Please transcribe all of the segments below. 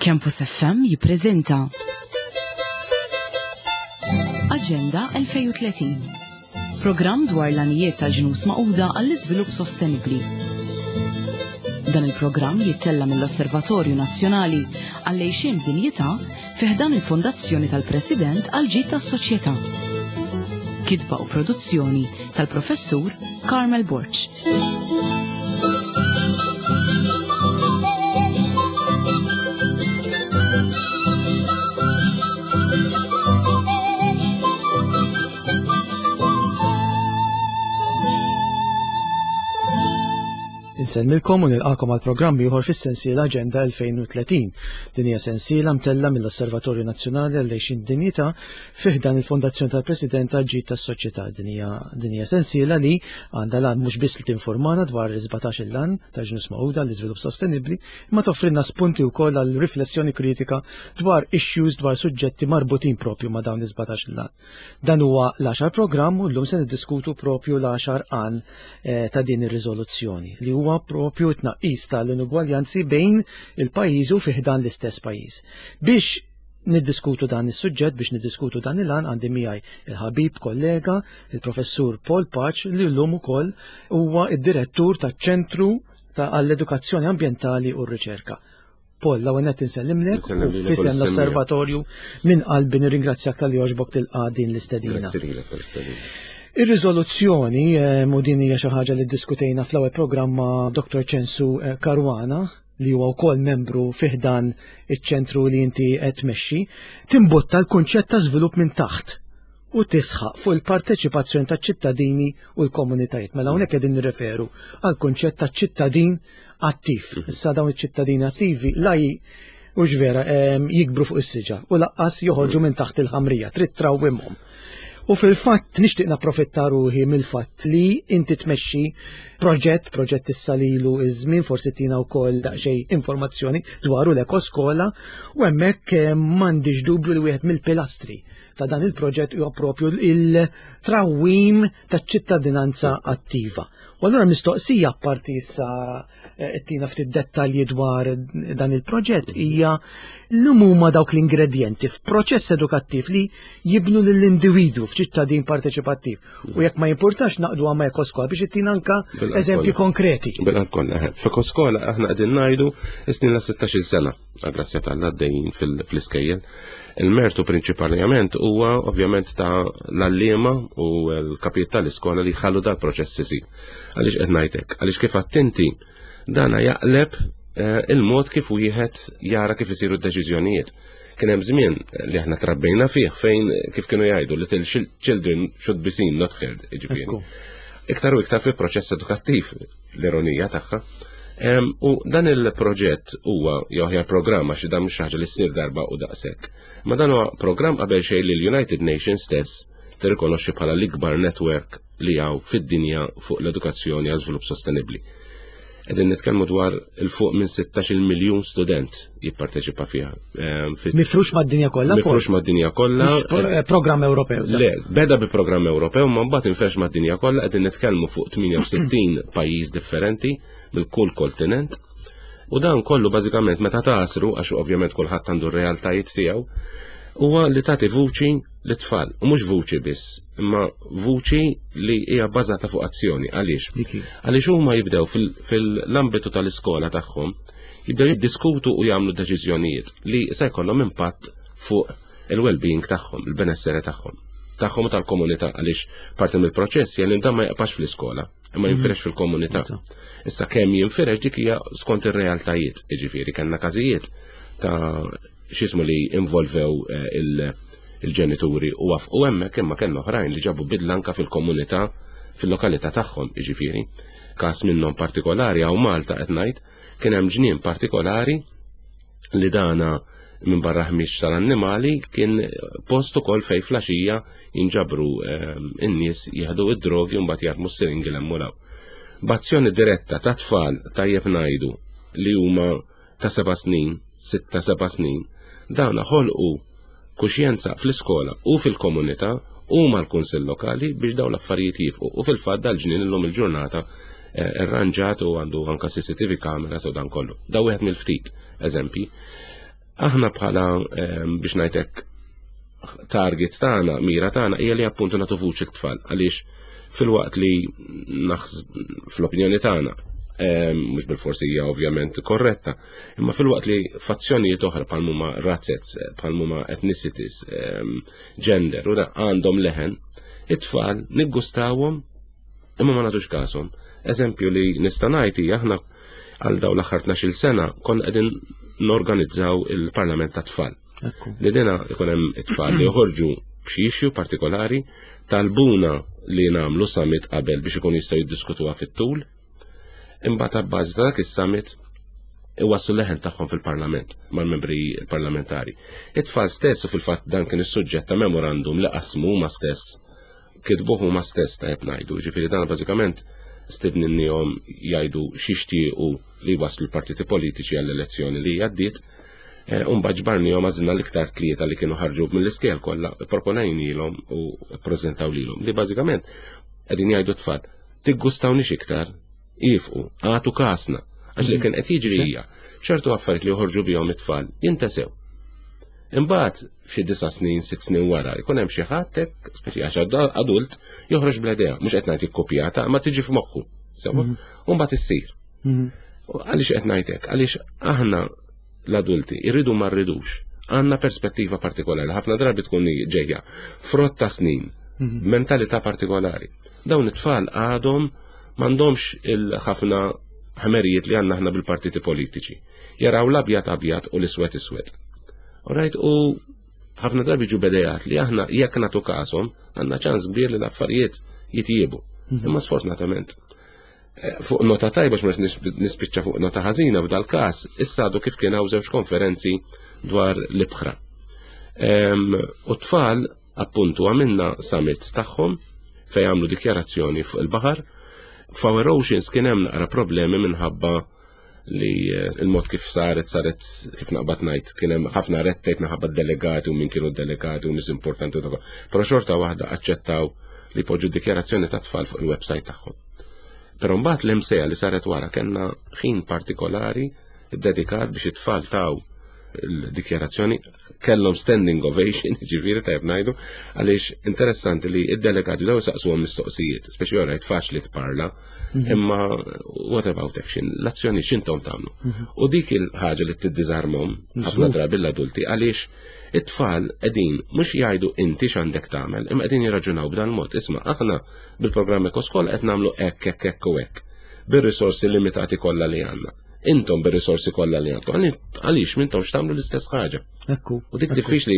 Campus FM jippreżenta Aġenda 2030. Programm dwar l-għanijiet tal-ġnus Magħquda għall-iżvilupp sostenibbli. Dan il-programm jittella mill-Osservatorju Nazzjonali għall-Għejxien Dinjità fi ħdan il-Fondazzjoni tal-President għall-Ġid tas-Soċjetà. Kitba u produzzjoni tal-Professur Carmel Borg. Insellmilkom u nilqakom għal programm ieħor fis-sensiela Aġenda 2030. Din hija sensiela mtella mill-Osservatorju Nazzjonali għall-Għixien Dinjità fi ħdan il-Fondazzjoni tal-President għall-Ġid tas-Soċjetà. Din hija din hija sensiela li għandha l-għan mhux biss li tinformana dwar is-17 il-għan tal-Ġnus Magħquda għall-Iżvilupp Sostenibbli, imma toffrilna spunti wkoll għal riflessjoni kritika dwar issues dwar suġġetti marbutin propju ma' dawn is-17 il-għan. Dan huwa l-għaxar programm u llum se niddiskutu propju l-għaxar għan eh, ta' din ir-riżoluzzjoni li huwa propju t-tnaqqis tal-inugwaljanzi bejn il-pajjiżi u fi ħdan l-istess pajjiż. Biex niddiskutu dan is-suġġett biex niddiskutu dan il-għan għandi miegħi il-ħabib kollega, il-professur Paul Pace li llum ukoll huwa id-direttur taċ-Ċentru ta' għall-Edukazzjoni Ambjentali u r-Riċerka. Paul, l-ewwel nett insellimlek u fisem l-Osservatorju minn qalbi nirringrazzjak talli għoġbok tilqa' din l-istedina. Ir-riżoluzzjoni eh, u din hija xi ħaġa li ddiskutejna fl-ewwel programm ma' Dr. Ċensu eh, Caruana, li huwa wkoll membru fi ħdan iċ-ċentru li inti qed tmexxi, timbutta l-kunċett ta' żvilupp minn taħt u tisħaq fuq il-parteċipazzjoni taċ-ċittadini u l-komunitajiet. Mela hawnhekk qegħdin nirreferu għal kunċett ta' ċittadin attiv. Mhm. Issa dawn iċ-ċittadini attivi la u vera jikbru fuq is-siġa u laqqas joħorġu mhm. minn taħt il-ħamrija, trid trawwimhom. U fil-fatt nixtieq napprofitta ruħi mill-fatt li inti tmexxi proġett, proġett issa lilu iż-żmien, forsi tina wkoll daqsxejn informazzjoni dwaru l-ekoskola u hemmhekk eh, m'għandix dubju li wieħed mill-pilastri ta' dan il-proġett huwa propju il-trawwim taċ-ċittadinanza attiva. U allura mistoqsija apparti issa eh, tina ftit dettalji dwar dan il-proġett hija l huma dawk l-ingredjenti f'proċess edukattiv li jibnu lill-individwu f'ċittadin parteċipattiv. U jekk ma jimpurtax naqdu għamma ekoskola biex ittina anka eżempji konkreti. Bil kollha, eh, f'ekoskola aħna qegħdin ngħidu snin la 16 sena, grazzja tal-għaddejjin fl-iskejjel. Il-mertu prinċipalment huwa ovvjament ta' l-għalliema u l-kapijiet tal-iskola li jħallu dal-proċess isir. Għaliex qed ngħidlek? Għaliex kif attenti dana jaqleb eh, il-mod kif wieħed jara kif isiru d-deċiżjonijiet. Kien hemm żmien li aħna trabbejna fih fejn kif kienu jgħidu little children should be seen not heard, jiġifieri. Iktar u iktar fil-proċess edukattiv l-ironija tagħha. U dan il-proġett huwa jew aħjar programm għax dan mhux ħaġa li ssir darba u daqshekk. Ma dan huwa programm qabel xejn li l-United Nations stess tirrikonoxxi bħala l-ikbar network li hawn fid-dinja fuq l-edukazzjoni għal żvilupp sostenibbli. Qegħdin nitkellmu dwar il fuq minn 16 miljun student jipparteċipa fiha. Ehm, Mifrux mad-dinja kollha? Mifrux mad-dinja kollha. Eh, programm Ewropew. Le, beda bi programm Ewropew, ma mbagħad infrex mad-dinja kollha qegħdin nitkellmu fuq 68 pajjiż differenti mill kull kontinent. U dan kollu bażikament meta tasru, għax ovvjament kulħadd għandu r-realtajiet tiegħu, huwa li tagħti vuċi lit-tfal, u mhux vuċi biss, imma vuċi li hija bbażata fuq azzjoni. Għaliex? Għaliex huma jibdew fil-ambitu tal-iskola tagħhom, jibdew jiddiskutu u jagħmlu deċiżjonijiet li se jkollhom impatt fuq il-well-being tagħhom, il-benessere tagħhom, tagħhom u tal-komunità għaliex parti mill-proċess jgħin dan ma jaqpax fl-iskola, imma mhm. jinfirex fil-komunità. Issa kemm jinfirex dik hija skont ir-realtajiet, jiġifieri kellna każijiet ta' x'ismu li involvew eh, il-ġenituri u wafqu hemmhekk imma kellna oħrajn li ġabu bidla anka fil-komunità fil-lokalità tagħhom, jiġifieri. Każ minnhom partikolari hawn Malta qed ngħid, kien hemm ġnien partikolari li dana minn barra ħmieġ tal-annimali kien post ukoll fejn flaxija jinġabru ehm, in-nies jieħdu id-drogi u mbagħad jarmu s-siringi l B'azzjoni diretta ta' tfal tajjeb ngħidu li huma ta' seba' snin, sitta seba' snin, dawna ħolqu kuxjenza fl-iskola u fil-komunità u mal-kunsill lokali biex dawn l-affarijiet jifqu. U fil-fatt dal-ġnien illum il-ġurnata eh, irranġat u għandu anka CCTV cameras u dan kollu. Da wieħed mill-ftit eżempji. Aħna bħala biex ngħidlek target tagħna, mira tagħna hija li appuntu nagħtu vuċi t-tfal għaliex filwaqt li fl-opinjoni tagħna mhux bil-forsi hija ovvjament korretta, imma filwaqt li fazzjonijiet oħra bħal huma razzets, bħal huma ethnicities, gender, u għandhom leħen, it-tfal niggustawhom imma ma nagħtux kashom. Eżempju li nista' ngħid hija aħna għal dawn l-aħħar 12-il sena konna qegħdin norganizzaw il-Parlament tat-Tfal. Li dina ikun hemm it-tfal li joħorġu b'xi issue partikolari talbuna li nagħmlu summit qabel biex ikun jistgħu jiddiskutuha fit-tul. Imbagħad abbażi ta' dak is-summit iwasslu leħen tagħhom fil-Parlament mal-membri parlamentari. It-tfal stess u fil-fatt dan kien is-suġġett ta' memorandum li qasmu huma stess kitbuh huma stess tajjeb ngħidu, ġifieri dan bażikament stidninnihom jgħidu x'jixtiequ li waslu l-partiti politiċi għall-elezzjoni li għaddiet. Eh, Umbagħad ġbarnihom għażilna l-iktar tlieta li kienu ħarġu mill-iskejjel kollha, proponejnielhom u ppreżentaw lilhom li bażikament qegħdin jgħidu tfal tiggustawniex iktar, ifqu, għatu kasna, għax li kien qed jiġri hija ċertu affarijiet li joħorġu bihom it-tfal jintesew. Imbagħad f'xi disa' snin, sitt snin wara, jkun hemm xi ħadd hekk, speċi għax adult, joħroġ bl-idea, mhux qed ngħid ikkopjata, ma tiġi f'moħħu. Sewa, mhm. u mbagħad issir. Mhm. Għaliex qed ngħid hekk? Għaliex aħna l-adulti irridu ma rridux għandna perspettiva partikolari, ħafna drabi tkun ġejja frott ta' snin, mhm. mentalità partikolari. Dawn it-tfal għadhom m'għandhomx il-ħafna ħmerijiet li għandna aħna bil-partiti politiċi. Jaraw l-abjad abjad u l-iswed iswed. Alright, u ħafna drabi ġu bedejat li aħna jekk nagħtu kasom għandna ċans kbir li l-affarijiet jitjiebu. Mhm. Imma sfortunatament eh, fuq nota tajba x'ma nispiċċa fuq nota ħażina f'dal każ, issa għadu kif kien hawn żewġ konferenzi dwar l-ibħra. U tfal appuntu għamilna summit tagħhom fejn għamlu dikjarazzjoni fuq il-baħar. F'Our Oceans kien hemm naqra problemi minħabba li eh, il-mod kif saret, saret kif naqbad ngħid, kien hemm ħafna red tape minħabba delegati u min kienu delegati u nies importanti u dak. Però xorta waħda aċċettaw li poġġu dikjarazzjoni ta' tfal fuq il-website tagħhom. Però mbagħad l-imsejja li saret wara kellna ħin partikolari dedikat biex it-tfal taw il-dikjarazzjoni kellhom standing ovation, ġifieri tajb ngħidu, għaliex interessanti li id-delegati daw saqsuhom mistoqsijiet, speċi orajt faċli tparla, mhm. imma what about action? L-azzjoni x'intom tagħmlu? Mhm. U dik il-ħaġa li tiddiżarmhom ħafna drabi l-adulti għaliex it-tfal qegħdin mhux jgħidu inti x'għandek tagħmel, imma qegħdin jirraġunaw b'dan mod. Isma' aħna bil-programm Ekoskola qed nagħmlu hekk hekk hekk u hekk bir-risorsi limitati kollha li għandna. Intom bir-risorsi kollha li għandkom, għaliex m'intomx tagħmlu l-istess ħaġa. Ekku. U dik diffiċli.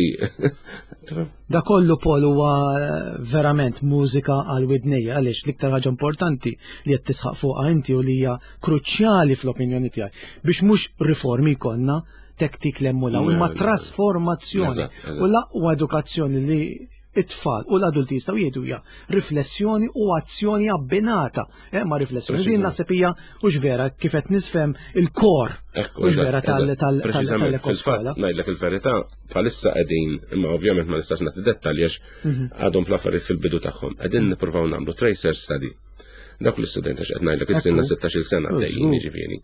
Da kollu Paul huwa eh, verament mużika għal widnejja għaliex l-iktar ħaġa importanti li qed tisħaq fuqha inti u li hija kruċjali fl-opinjoni tiegħi biex mhux riformi jkollna tektik l-emmulaw imma trasformazzjoni u l-aqwa edukazzjoni li it-tfal u l-adulti jistgħu jgħidu hija riflessjoni u azzjoni abbinata eh, ma' riflessjoni. Din naħseb hija hux vera kif qed nisfhem il-kor hux vera tal-ekoskola. Ngħidlek il-verità, bħalissa qegħdin, imma ovvjament ma nistax nagħti dettalji għax mhm. għadhom fl-affarijiet fil-bidu tagħhom. Qegħdin nippruvaw nagħmlu tracer study. Dak l-istudent għax qed ngħidlek is-sinna 16-il sena għaddejjin jiġifieri.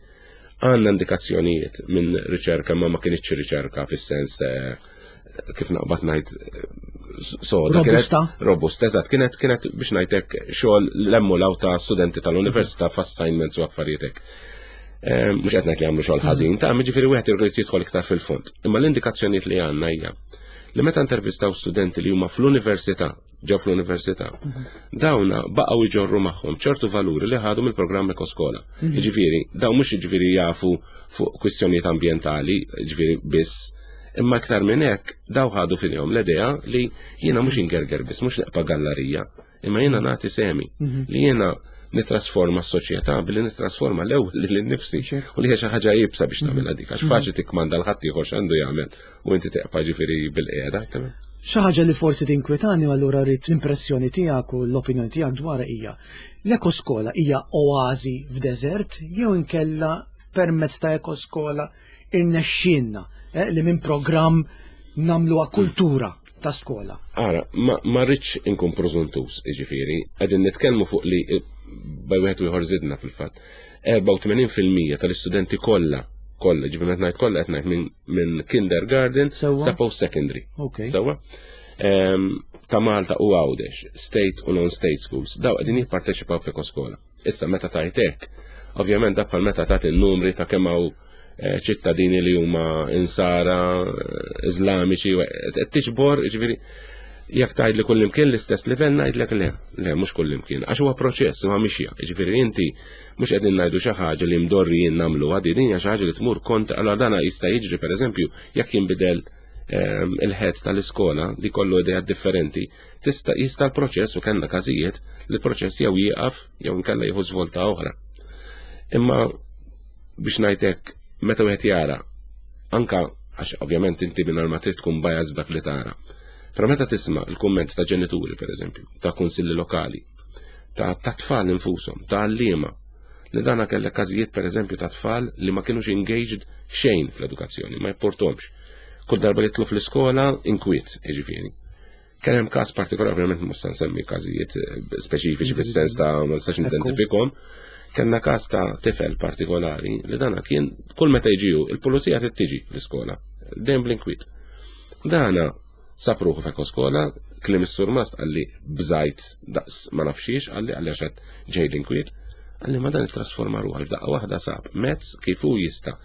Għandna indikazzjonijiet minn riċerka ma ma kienitx riċerka fis-sens eh, kif naqbad ngħid eh, soda. Robusta. Robusta, eżatt, kienet kienet biex ngħidlek xogħol l-emmulaw ta' studenti tal-università f'assignments u affarijiet hekk. Eh, mhux qed ngħid li għamlu xogħol ħażin, ta' jiġifieri wieħed irid jidħol iktar fil-fond. Imma l-indikazzjonijiet li għandna hija li meta intervistaw studenti li huma fl-università ġew fl-università. Dawna baqgħu jġorru magħhom ċertu valuri li ħadu mill-programm Ekoskola. Mhm. Jiġifieri, dawn mhux jiġifieri jafu fuq kwistjonijiet ambjentali, jiġifieri biss, imma iktar minn hekk daw ħadu fihom l-idea li jiena mhux ingerger biss, mhux neqpa' gallarija, imma jiena nagħti semi mhm. li jiena nitrasforma s-soċjetà billi nitrasforma l-ewwel lil nifsi u li hija xi ħaġa iebsa biex tagħmilha dik għax faċli tikkmanda l ħadd ieħor x'għandu jagħmel u inti teqpa' ġifieri bil-qiegħda. Xi ħaġa li forsi tinkwetani u allura rrid l-impressjoni tiegħek u l-opinjoni tiegħek dwarha hija l-ekoskola hija oażi f'deżert jew inkella permezz ta' ekoskola irnexxielna eh, li minn programm nagħmluha kultura ta' skola. Ara, ma, ma rridx inkun prożuntus, jiġifieri, qegħdin nitkellmu fuq li bej wieħed u ieħor żidna fil-fatt. 84% tal-istudenti kollha. Kollha, ġifieri meta ngħid kollha qed ngħid minn kindergarten sa post secondary. Sewwa? Ta' Malta u Għawdex, state u non-state schools, daw qegħdin jipparteċipaw f'Ekoskola. Issa meta tajt hekk, ovvjament dak bħal meta tagħti n-numri ta' kemm hawn eh, ċittadini li huma insara, eh, iżlamiċi, qed tiġbor, ġifieri jekk tgħid li kullimkien l-istess livell ngħidlek le, le mhux kullimkien, għax huwa proċess huwa mixja, ġifieri inti mhux qegħdin ngħidu xi ħaġa li mdorrijin nagħmluha, din hija xi ħaġa li tmur kontra, allura dana jista' jiġri pereżempju jekk jinbidel ehm, il-ħed tal-iskola li kollu idea differenti, tista' jista' l-proċess u kellna każijiet li l-proċess jew jieqaf jew inkella jieħu żvolta oħra. Imma biex ngħidlek meta wieħed jara anka għax ovvjament inti minn ma trid tkun bias b'dak li tara. Però meta tisma' l-kumment ta' ġenituri pereżempju, ta' kunsilli lokali, ta' tfal infushom, ta' għalliema, li dana kellek każijiet pereżempju ta' tfal li ma kienux engaged xejn fl-edukazzjoni, ma jipportomx. Kull darba li tlu fl-iskola inkwiet, jiġifieri. Kien hemm każ partikolari, ovvjament mhux se nsemmi każijiet eh, speċifiċi fis-sens ta' ma nistax nidentifikhom. Kellna każ ta' tifel partikolari li dana kien kull meta jiġiju il-pulizija trid tiġi l-iskola, dejjem bl-inkwiet. Dana sab ruħu f'ekoskola, kliem is-surmast qalli bżajt daqs ma nafxiex, qalli qalli għax ġej l-inkwiet, qalli ma dan ittrasforma ruħu f'daqqa waħda sab mezz kif hu jista'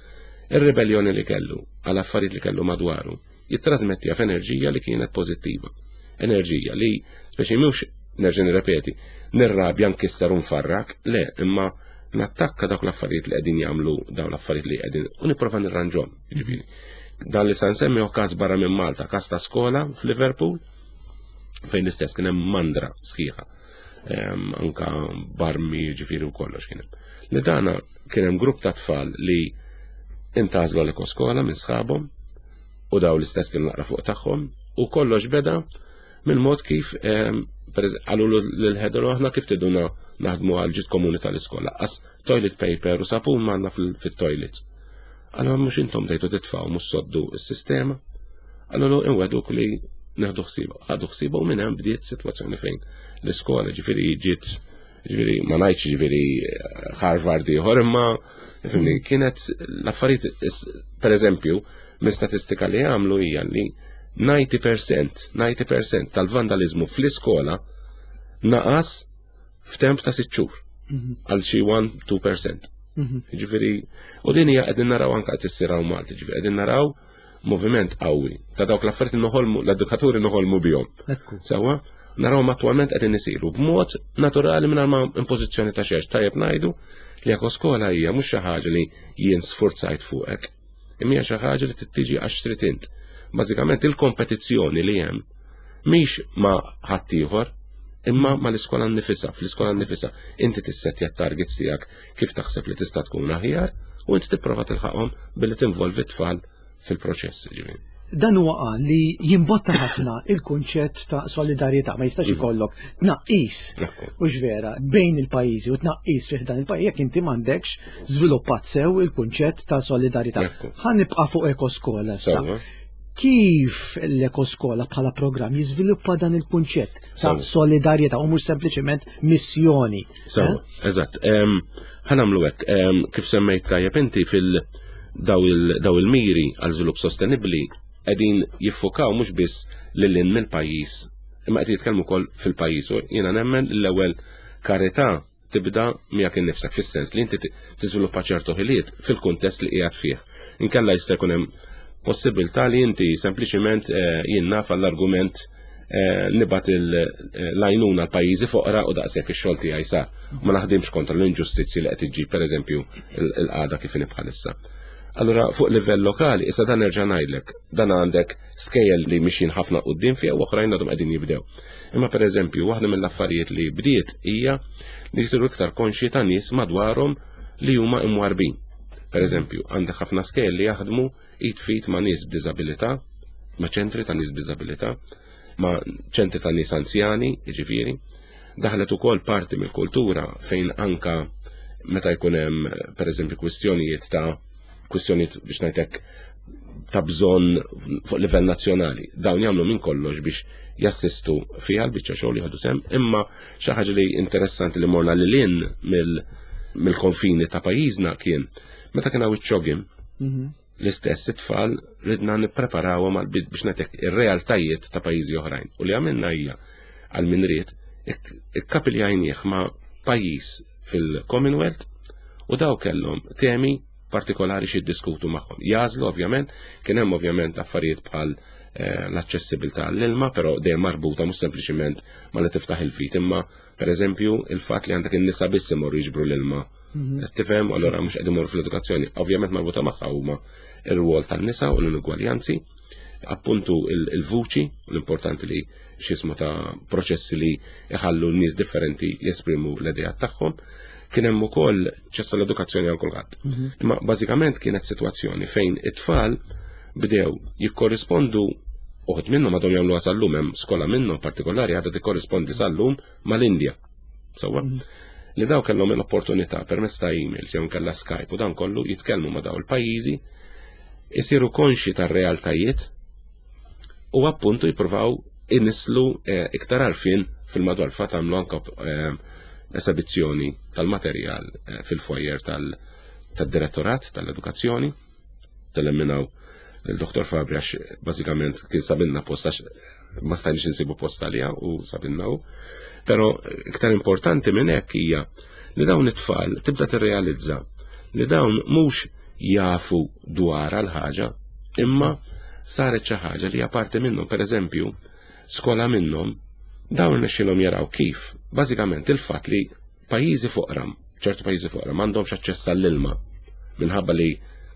ir-ribelljoni li kellu għal affarijiet li kellu madwaru jittrażmettiha f'enerġija li kienet pożittiva. Enerġija li, speċi mhux nerġa' nirrepeti, nirrabja nkisser u nfarrak, le, imma nattakka dawk l-affarijiet li qegħdin jagħmlu dawn l-affarijiet li qegħdin u nipprova nirranġhom. Jiġifieri. Dan li sa nsemmi hu każ barra minn Malta, każ ta' skola f'Liverpool, fejn l-istess kien hemm mandra sħiħa. Ehm, anka barmi ġifieri u kollox kien hemm. Li dana kien hemm grupp ta' tfal li intażlu għal ekoskola minn sħabhom u daw l-istess kienu naqra fuq tagħhom u kollox beda minn mod kif ehm, għalu l-ħedru aħna kif tiduna naħdmu għal ġid komuni tal-iskola. Qas toilet paper u sapun manna fil-toilet. Għallu mux intom dejtu titfaw mux soddu s-sistema. Għallu inweduk li neħdu ħsiba. Ħadu ħsiba u minn hemm bdiet sitwazzjoni fejn l-iskola ġifieri ġiet ġifieri ma ngħidx ġifieri Harvard ieħor imma fimni kienet l-affarijiet pereżempju minn statistika li għamlu hija li 90% 90% tal-vandalizmu fl-iskola naqas f'temp ta' sitt xhur mhm. għal xi 1-2%. Mhm. Ġifieri, u din hija qegħdin naraw anke qed issir hawn Malta, ġifieri qegħdin naraw moviment qawwi ta' dawk l-affarijiet noħolmu l-edukaturi noħolmu bihom. Sewwa, narawhom attwalment qegħdin isiru b'mod naturali mingħajr ma impożizzjoni ta' xejn. Tajjeb ngħidu li jekk skola hija mhux xi ħaġa li jien sfurzajt fuqek, imma hija xi ħaġa li tittiġi għax trid int. Bażikament il-kompetizzjoni li hemm mhix ma' ħaddieħor, imma ma l-iskola nnifisha, fl-iskola nnifisha. Inti tissettja t-targets tiegħek kif taħseb li tista' tkun aħjar u inti tipprova tilħaqhom billi tinvolvi t-tfal fil-proċess. Ġifieri. Dan huwa qal li jimbotta ħafna il-kunċett ta' solidarjetà, ma jistax mhm. ikollok tnaqqis u vera bejn il-pajjiżi u tnaqqis fih dan il-pajjiż jekk inti m'għandekx żviluppat sew il-kunċett ta' solidarjetà. Ħa nibqa' fuq ekoskola issa. Kif l-Ekoskola bħala programm jiżviluppa dan il-kunċett ta' solidarjetà u mhux sempliċement missjoni? Sewa, eh? eżatt. Ħa nagħmlu hekk, kif semmejt tajjeb inti fil daw il-miri għal żvilupp sostenibbli qegħdin jiffukaw mhux biss lil hinn mill-pajjiż, imma qed jitkellmu wkoll fil-pajjiż u jiena nemmen l-ewwel karità tibda miegħek innifsek fis-sens li inti tiżviluppa ċertu ħiliet fil-kuntest li qiegħed fih. Inkella jista' jkun hemm possibilità li inti sempliċiment eh, jien naf għall-argument eh, nibgħat eh, l-għajnuna l-pajjiżi foqra u daqshekk ix-xogħol tiegħi sar. Ma naħdimx kontra l-inġustizzji li qed iġġib pereżempju l-qagħda kif inhi bħalissa. Allura fuq livell lokali, issa dan nerġa' ngħidlek, dan għandek skejjel li mixjin ħafna quddiem fiha u oħrajn għadhom qegħdin jibdew. Imma pereżempju, waħda mill-affarijiet li bdiet hija li jsiru iktar konxji ta' nies madwarhom li huma imwarbin. Pereżempju, għandek ħafna skejjel li jaħdmu id fit ma' nies b'diżabilità, ma' ċentri ta' nies b'diżabilità, ma' ċentri ta' nies anzjani, jiġifieri. Daħlet ukoll parti mill-kultura fejn anka meta jkun hemm pereżempju kwistjonijiet ta' kwistjonijiet biex ngħidlek ta' bżonn fuq livell nazzjonali. Dawn jagħmlu minn kollox biex jassistu fiha l-biċċa xogħol jieħdu sem, imma xi ħaġa li interessanti li morna lil hinn mill-konfini ta' pajjiżna kien meta kien hawn iċ-ċogim. L-istess it-tfal ridna nippreparawhom għal biex netek ir-realtajiet ta' pajjiżi oħrajn. U li għamilna hija għal min ried ikkapiljajnieh ma' pajjiż fil-Commonwealth u daw kellhom temi partikolari xi diskutu magħhom. Jażlu ovvjament, kien hemm ovvjament affarijiet bħal eh, l-aċċessibilità l-ilma, però dejjem marbuta mhux sempliċiment ma li tiftaħ il-vit, imma pereżempju il-fatt li għandek in-nisa biss imorru jiġbru l-ilma. Mhm. Tifhem, allura mhux qegħdin imorru fl-edukazzjoni. Ovvjament marbuta magħha huma ir-rwol tan-nisa u l-inugwaljanzi, appuntu il-vuċi, l-importanti li xismu ta' proċessi li iħallu n-nies differenti jesprimu l-idejat tagħhom. Kien hemm ukoll ċessa l-edukazzjoni għal kulħadd. Mhm. Imma bażikament kienet sitwazzjoni fejn it-tfal bdew jikkorrispondu uħud minnhom għadhom jagħmluha sal-lum hemm skola minnhom partikolari għadha tikkorrispondi sal-lum mal-Indja. Sewwa? Mhm. Li daw kellhom l-opportunità permezz ta' emails jew nkella Skype u dan kollu jitkellmu ma' daw il-pajjiżi, isiru konxi tar-realtajiet u appuntu jippruvaw inislu eh, iktar għarfien fil-madwar fatt għamlu anka eh, esebizzjoni tal-materjal eh, fil-foyer tal-direttorat tal-edukazzjoni tal-emminaw il-Dr. Fabri għax bażikament kien sabilna post għax ma stajniex insibu post għalija u sabilna u. Però iktar importanti minn hekk hija li dawn it-tfal tibda tirrealizza li dawn mhux jafu dwar għal ħaġa imma saret xi ħaġa li hija parti minnhom, pereżempju, skola minnhom dawn nexxilhom jaraw kif bażikament il-fatt li pajjiżi foqra, ċertu pajjiżi foqra m'għandhomx aċċess għall-ilma minħabba li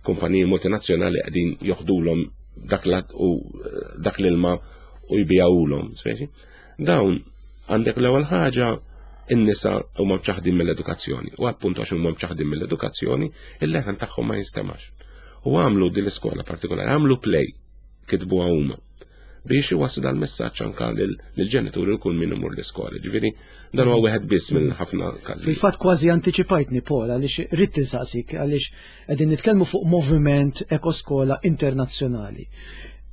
kumpaniji multinazzjonali qegħdin joħdulhom dak dak l-ilma u jbijawulhom, speċi. Dawn għandek l-ewwel ħaġa in-nisa huma mċaħdin mill-edukazzjoni u appuntu għax huma mċaħdin mill-edukazzjoni il-leħen tagħhom ma jinstemax. U għamlu din l-iskola partikolari, għamlu play kitbuha huma biex iwassu dal-messaġġ anka lill-ġenituri u kull min imur l-iskola. Ġifieri dan huwa wieħed biss minn ħafna każijiet. Fil-fatt kważi antiċipajtni Paul għaliex ridt insaqsik għaliex qegħdin nitkellmu fuq moviment ekoskola internazzjonali.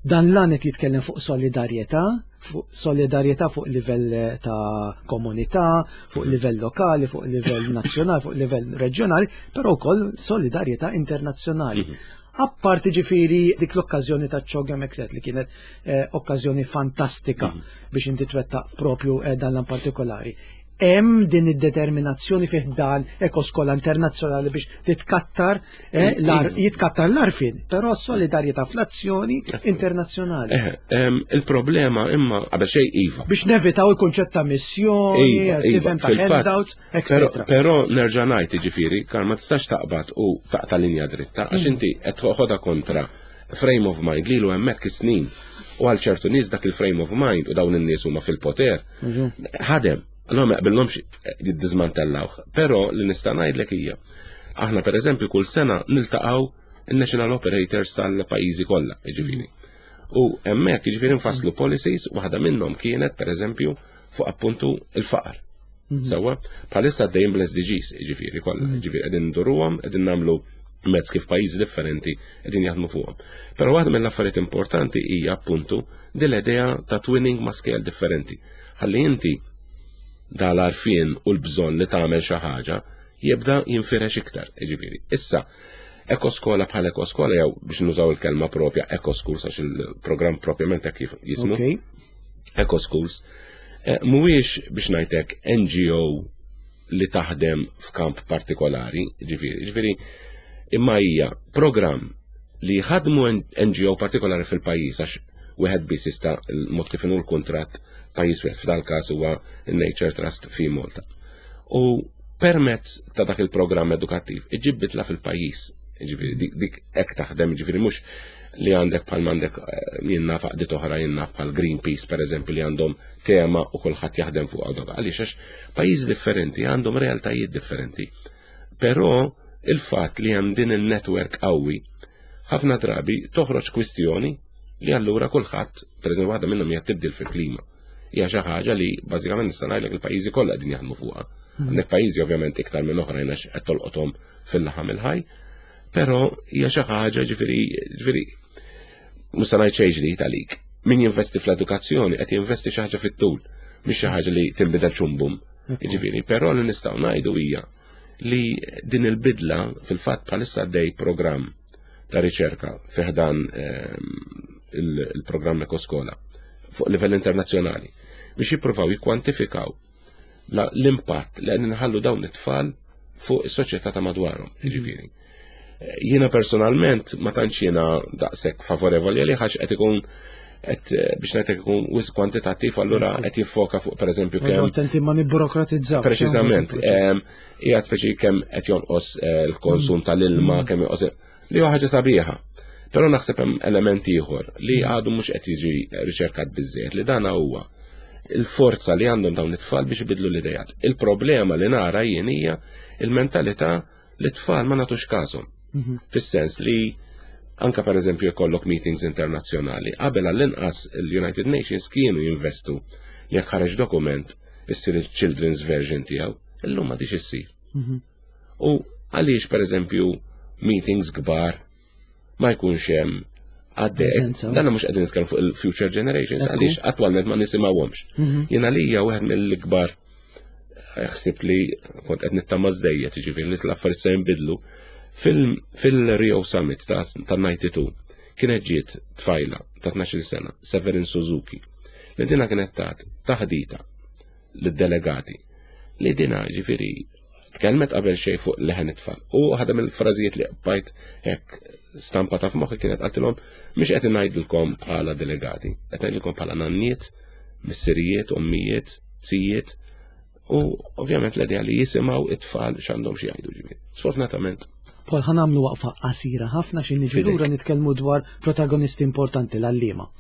Dan l-għan qed jitkellem fuq solidarjetà, fuq solidarjetà fuq livell eh, ta' komunità, fuq livell lokali, fuq livell nazzjonali, fuq livell reġjonali, però wkoll solidarjetà internazzjonali. Mhm. Apparti ġifiri dik l-okkażjoni ta' ċogem Exet li kienet eh, okkażjoni fantastika mhm. biex inti twettaq propju eh, dan l partikolari. Hemm din id-determinazzjoni fih dan ekoskola internazzjonali biex titkattar eh, jitkattar l-arfin, però solidarjetà fl-azzjoni internazzjonali. Eh, il-problema imma qabel xejn iva. Biex nevitaw il-kunċett ta' missjoni, iva, iva, ta' handouts, etc. Però nerġa' ngħid jiġifieri, kar ma tistax taqbad u taqta' linja dritta għax mm. inti qed toħodha kontra frame of mind lilu hemmhekk is-snin u għal ċertu nies dak il-frame of mind u dawn in-nies huma fil-poter mhm. ħadem Allora ma jaqbilhomx jiddizmantellawh. Però li nista' ngħidlek hija aħna pereżempju kull sena niltaqgħu il-national operators tal-pajjiżi kollha, jiġifieri. U hemmhekk jiġifieri nfasslu policies, waħda minnhom kienet pereżempju fuq appuntu il-faqar. Mhm. Sewwa, bħalissa għaddejjin bl-SDGs, jiġifieri kollha, mhm. jiġifieri qegħdin nduruhom, qegħdin nagħmlu mezz kif pajjiżi differenti qegħdin jaħdmu fuqhom. Però waħda mill-affarijiet importanti hija appuntu din l-idea ta' twinning ma' scale differenti. Ħalli inti dal-arfien u l-bżonn li tagħmel xi ħaġa jibda jinfirex iktar, jiġifieri. Issa, ekoskola bħal ekoskola jew biex nużaw il-kelma propja ekoschools għax il-programm propjament hekk kif jismu. Okay. Ecoschools eh, mhuwiex biex ngħidlek NGO li taħdem f'kamp partikolari, ġifieri, ġifieri imma hija programm li jħadmu NGO partikolari fil-pajjiż għax wieħed biss jista' l-mod kif inhu l-kuntratt pajjiż wieħed f'dal każ huwa n-Nature Trust fi Malta. U permezz ta' dak il-programm edukattiv iġib bitla fil-pajjiż, ġifieri dik hekk taħdem, ġifieri mhux li għandek bħal m'għandek eh, jien naf għaqdiet oħra jien naf bħal Greenpeace pereżempju li għandhom tema u kulħadd jaħdem fuq għadhom. Għaliex għax pajjiżi differenti għandhom realtajiet differenti. Però il-fatt li hemm din il-network qawwi ħafna drabi toħroġ kwistjoni li allura kulħadd, pereżempju waħda minnhom hija tibdil fil-klima. Hija xi ħaġa li bażikament nista' ngħidlek il-pajjiżi kollha qegħdin jaħdmu fuqha. Hmm. Għandek pajjiżi ovvjament iktar minn oħrajn għax qed tolqothom fil-laħam il-ħaj, però hija xi ħaġa ġifieri ġifieri mhux se ngħid xejn ġdid għalik. Min jinvesti fl-edukazzjoni qed jinvesti xi ħaġa fit-tul, mhix xi ħaġa li tinbidel ċumbum. Ġifieri, però li nistgħu ngħidu hija li din il-bidla fil-fatt bħalissa għaddej programm ta' riċerka fi ħdan il-programm Ekoskola fuq livell internazzjonali biex jippruvaw jikkwantifikaw l-impatt li qegħdin nħallu dawn it-tfal fuq is-soċjetà ta' madwarhom, jiġifieri. Jiena personalment ma tantx jiena daqshekk favorevoli għalih għax qed ikun qed biex ngħidlek ikun wisq kwantitattiv allura qed jiffoka fuq pereżempju kemm. Attenti ma nibburokratizzaw. Preċiżament. Hija speċi kemm qed jonqos eh, l-konsum mm. tal-ilma, mm. kemm jonqos li huwa ħaġa sabiħa. Però naħseb hemm element ieħor li mm. għadu mhux qed jiġi riċerkat biżżejjed li dana huwa il-forza li għandhom dawn it-tfal biex ibidlu l-idejat. Il-problema li nara jien hija il-mentalità li tfal ma nagħtux każhom. Mhm. Fis-sens li anka per eżempju jkollok meetings internazzjonali, qabel għall-inqas il-United Nations kienu jinvestu jekk ħareġ dokument issir il-children's version tiegħu, illum ma issir. Mhm. U għaliex per eżempju meetings kbar ma jkunx hemm għaddej. Dan mhux qegħdin nitkellmu fuq il-future generations għaliex attwalment ma nisimgħuhomx. Mhm. Jiena lija wieħed mill-ikbar eh, ħsibt li kont qed nittama żejjed, jiġifieri li l-affarijiet se jinbidlu. Fil-Rio Summit ta' 92 kienet ġiet tfajla ta' 12 sena, Severin Suzuki, li dina kienet tat taħdita lid-delegati li dina ġifieri Tkellmet qabel xejn fuq leħen it-tfal. U waħda mill-frażijiet li bajt hekk stampa ta' f'moħħi kienet qaltilhom mhux qed ngħidilkom bħala delegati, qed ngħidilkom bħala nanniet, missirijiet, ommijiet, zijiet, u ovvjament l-idea li jisimgħu it-tfal x'għandhom xi jgħidu ġifieri. Sfortunatament. Paul, ħa nagħmlu waqfa qasira ħafna xi niġu lura nitkellmu dwar protagonisti importanti l-għalliema.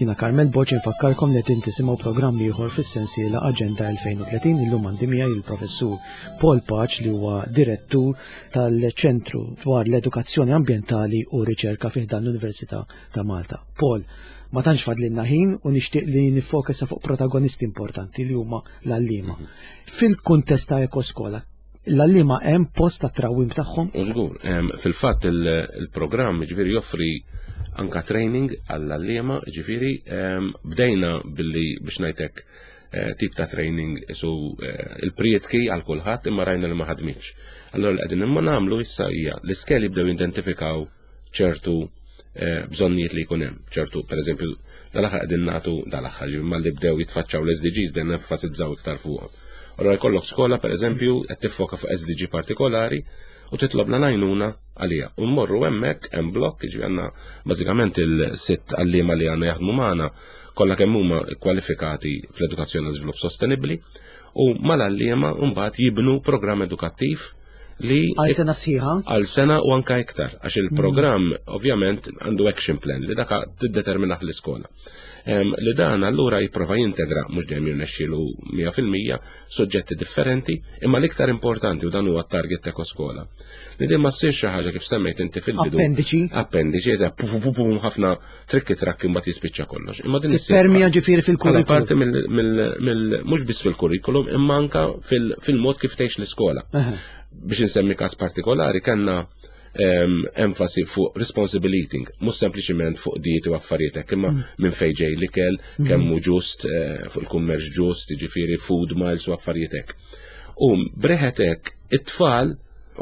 Jina Carmel Boċ infakkarkom li qed tisimgħu programm ieħor fis-sensiela Aġenda 2030 illum għandi miegħi il-Professur Paul Paċ li huwa direttur tal-Ċentru dwar l-Edukazzjoni Ambjentali u Riċerka fi ħdan l-Università ta' Malta. Paul, ma tantx fadlilna ħin u nixtieq li nifokesa fuq protagonisti importanti li huma l-għalliema. Mhm. Fil-kuntest ta' ekoskola, l-għalliema hemm post ta' trawim tagħhom? Żgur, fil-fatt il-programm ġifieri joffri anka training għall-għalliema, ġifieri bdejna billi biex ngħidlek eh, tip ta' training su eh, il-prietki għal kulħadd imma rajna li ma ħadmitx. Allora li qegħdin imma nagħmlu issa hija l-iskeli bdew identifikaw ċertu eh, bżonnijiet li jkun hemm, ċertu pereżempju dal-aħħar qegħdin nagħtu dal-aħħar imma li bdew jitfaċċaw l-SDGs bdejna nenfasizzaw iktar fuqhom. Allora jkollok skola pereżempju qed tiffoka fuq SDG partikolari u titlobna l-għajnuna għalija. U mmorru hemmhekk hemm blokk, jiġifieri għandna bażikament il-sitt għalliema li għandna jaħdmu magħna kollha kemm huma kwalifikati fl-edukazzjoni u żvilupp sostenibbli u mal-għalliema mbagħad jibnu programm edukattiv li għal sena sħiħa? Għal sena u anka iktar, għax il-programm mm. ovvjament għandu action plan li daka tiddeterminaħ l-iskola. Li dan allura jipprova jintegra mhux dejjem jirnexxielu 100% soġġetti differenti, imma l-iktar importanti u dan huwa t-target ta' skola. Li din ma ssir xi ħaġa kif semmejt inti fil-bidu. Appendiċi. Appendiċi, eżatt, pu pu pu ħafna trikki trakki mbagħad jispiċċa kollox. Imma din Permija ġifieri fil-kurrikulum. Parti mill mhux biss fil-kurrikulum imma anka fil-mod kif tgħix l-iskola. Biex insemmi każ partikolari kellna enfasi fuq responsible eating, mhux sempliċiment fuq dieti u affarijiet hekk, imma mm. minn fejn ġej l-ikel, mm. kemm hu ġust eh, fuq il-kummerċ ġust, jiġifieri food miles u affarijiet hekk. U breħet hekk it-tfal,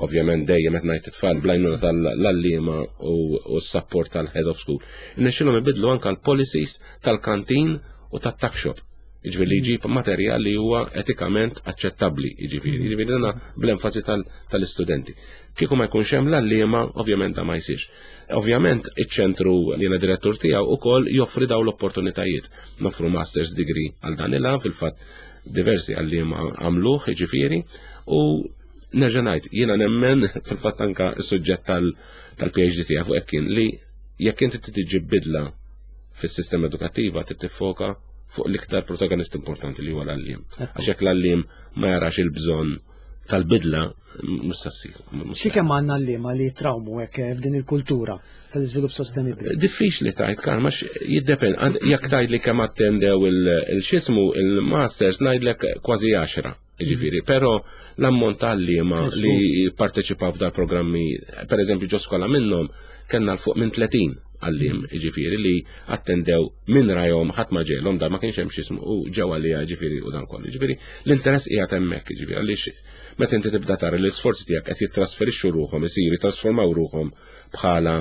ovvjament dejjem qed ngħid it-tfal blajnuna tal-allima u s-support tal-head of school, nexxilhom ibidlu anke l-policies tal-kantin u tat-tuck shop. Jiġifieri li jġib materjal li huwa etikament aċċettabbli, jiġifieri, jiġifieri dana bl-enfasi tal-istudenti. Kieku ma jkunx hemm l-għalliema, ovvjament da ma jsirx. Ovvjament iċ-ċentru li jiena direttur tiegħu ukoll joffri dawn l-opportunitajiet. Noffru master's degree għal dan il fil-fatt diversi għalliema għamluh, jiġifieri, u nerġa' ngħid, jiena nemmen fil-fatt anka s-suġġett tal-PhD tiegħi fuq hekk kien li jekk inti tiġi bidla fis-sistema edukattiva trid tiffoka fuq l-iktar protagonist importanti li huwa l-għalliem. Għax jekk l-għalliem ma jarax il-bżonn tal-bidla mhux se ssir. Xi kemm għandna għalliema li trawmu hekk eh, f'din il-kultura tal-iżvilupp sostenibbli? Diffiċli tajt karma jiddepend jekk tgħid li kemm attendew il-xismu il-masters ngħidlek kważi 10. Ġifieri, però l-ammont ta' għalliema li parteċipaw f'dal programmi, per eżempju ġo skola minnhom kellna l fuq minn 30 għalliem, mm. ġifieri li attendew minn rajhom ħadd ma ġelhom dan ma kienx hemm x'ismu u ġew għalija ġifieri u dan kollu. Ġifieri l-interess qiegħed hemmhekk, ġifieri għaliex meta inti tibda tara li l-isforzi tiegħek qed jittrasferixxu ruħhom, isiru jitrasformaw ruħhom bħala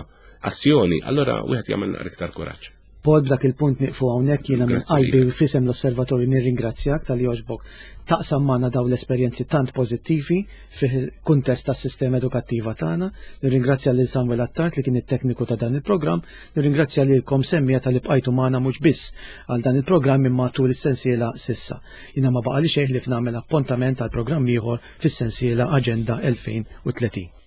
azzjoni, allura wieħed jagħmel naqra iktar kuraġġ. Paul b'dak il-punt nieqfu hawnhekk jiena minn qalbi u f'isem l-Osservatorju nirringrazzjak talli għoġbok taqsam magħna dawn l-esperjenzi tant pożittivi fil-kuntest tas-sistema edukattiva tagħna. Nirringrazzja lil Samuel Attard li kien it-tekniku ta' dan il-programm, nirringrazzja lilkom semmija talli bqajtu magħna mhux biss għal dan il-programm imma tul is-sensiela s'issa. Jiena ma baqali xejn ħlief nagħmel appuntament għal programm ieħor fis-sensiela Aġenda 2030.